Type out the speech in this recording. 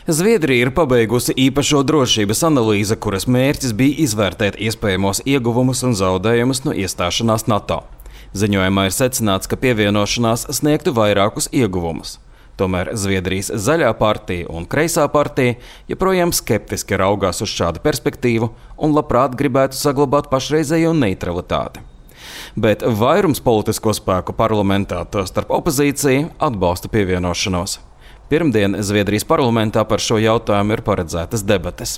Zviedrija ir pabeigusi īpašo drošības analīzi, kuras mērķis bija izvērtēt iespējamos ieguvumus un zaudējumus no iestāšanās NATO. Ziņojumā ir secināts, ka pievienošanās sniegtu vairākus ieguvumus. Tomēr Zviedrijas Zaļā partija un Kreisā partija joprojām skeptiski raugās uz šādu perspektīvu un labprāt gribētu saglabāt pašreizējo neutralitāti. Bet vairums politisko spēku parlamentā, tostarp opozīcija, atbalsta pievienošanos. Pirmdien Zviedrijas parlamentā par šo jautājumu ir paredzētas debates.